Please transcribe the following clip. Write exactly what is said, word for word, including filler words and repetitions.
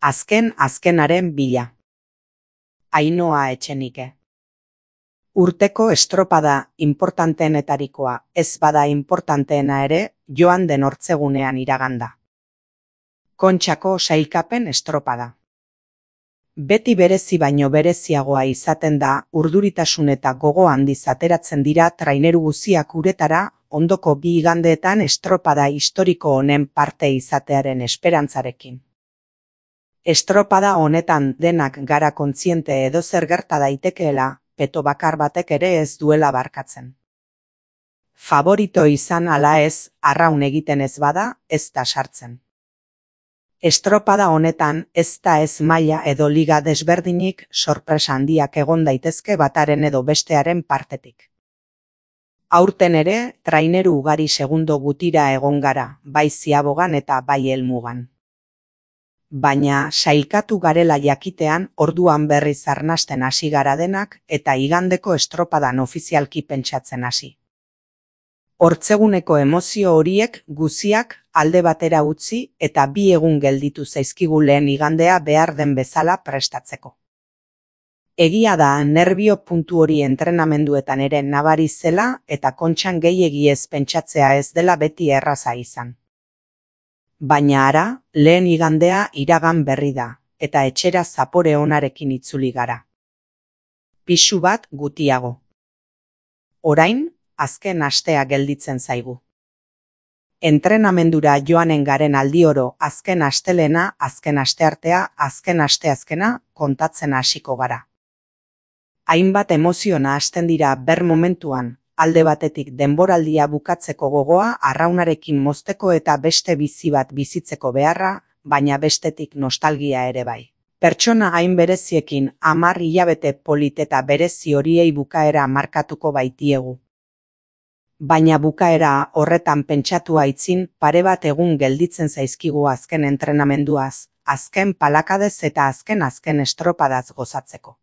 Azken azkenaren bila. Ainhoa Etxenike. Urteko estropada importanteenetarikoa ez bada importanteena ere joan den hortzegunean iraganda. Kontxako sailkapen estropada. Beti berezi baino bereziagoa izaten da urduritasun eta gogo handiz ateratzen dira traineru guziak uretara ondoko bi igandeetan estropada historiko honen parte izatearen esperantzarekin. Estropada honetan denak gara kontziente edozer gerta daitekeela, peto bakar batek ere ez duela barkatzen. Favorito izan ala ez, arraun egiten ez bada, ez da sartzen. Estropada honetan ez da ez maila edo liga desberdinik sorpresa handiak egon daitezke bataren edo bestearen partetik. Aurten ere, traineru ugari segundo gutira egon gara, bai Ziabogan eta bai Helmugan. Baina sailkatu garela jakitean orduan berriz arnasten hasi gara denak eta igandeko estropadan ofizialki pentsatzen hasi. Hortzeguneko emozio horiek guziak alde batera utzi eta bi egun gelditu zaizkigu lehen igandea behar den bezala prestatzeko. Egia da nerbio puntu hori entrenamenduetan ere nabari zela eta kontxan gehiegi ez pentsatzea ez dela beti erraza izan. Baina ara, lehen igandea iragan berri da, eta etxera zapore onarekin itzuli gara. Pisu bat gutiago. Orain, azken astea gelditzen zaigu. Entrenamendura joanen garen aldioro azken astelena, azken asteartea, azken asteazkena kontatzen hasiko gara. Hainbat emoziona hasten dira ber momentuan, alde batetik denboraldia bukatzeko gogoa arraunarekin mozteko eta beste bizi bat bizitzeko beharra, baina bestetik nostalgia ere bai. Pertsona hain bereziekin hamar hilabete polit eta berezi horiei bukaera markatuko baitiegu. Baina bukaera horretan pentsatu aitzin pare bat egun gelditzen zaizkigu azken entrenamenduaz, azken palakadez eta azken azken estropadaz gozatzeko.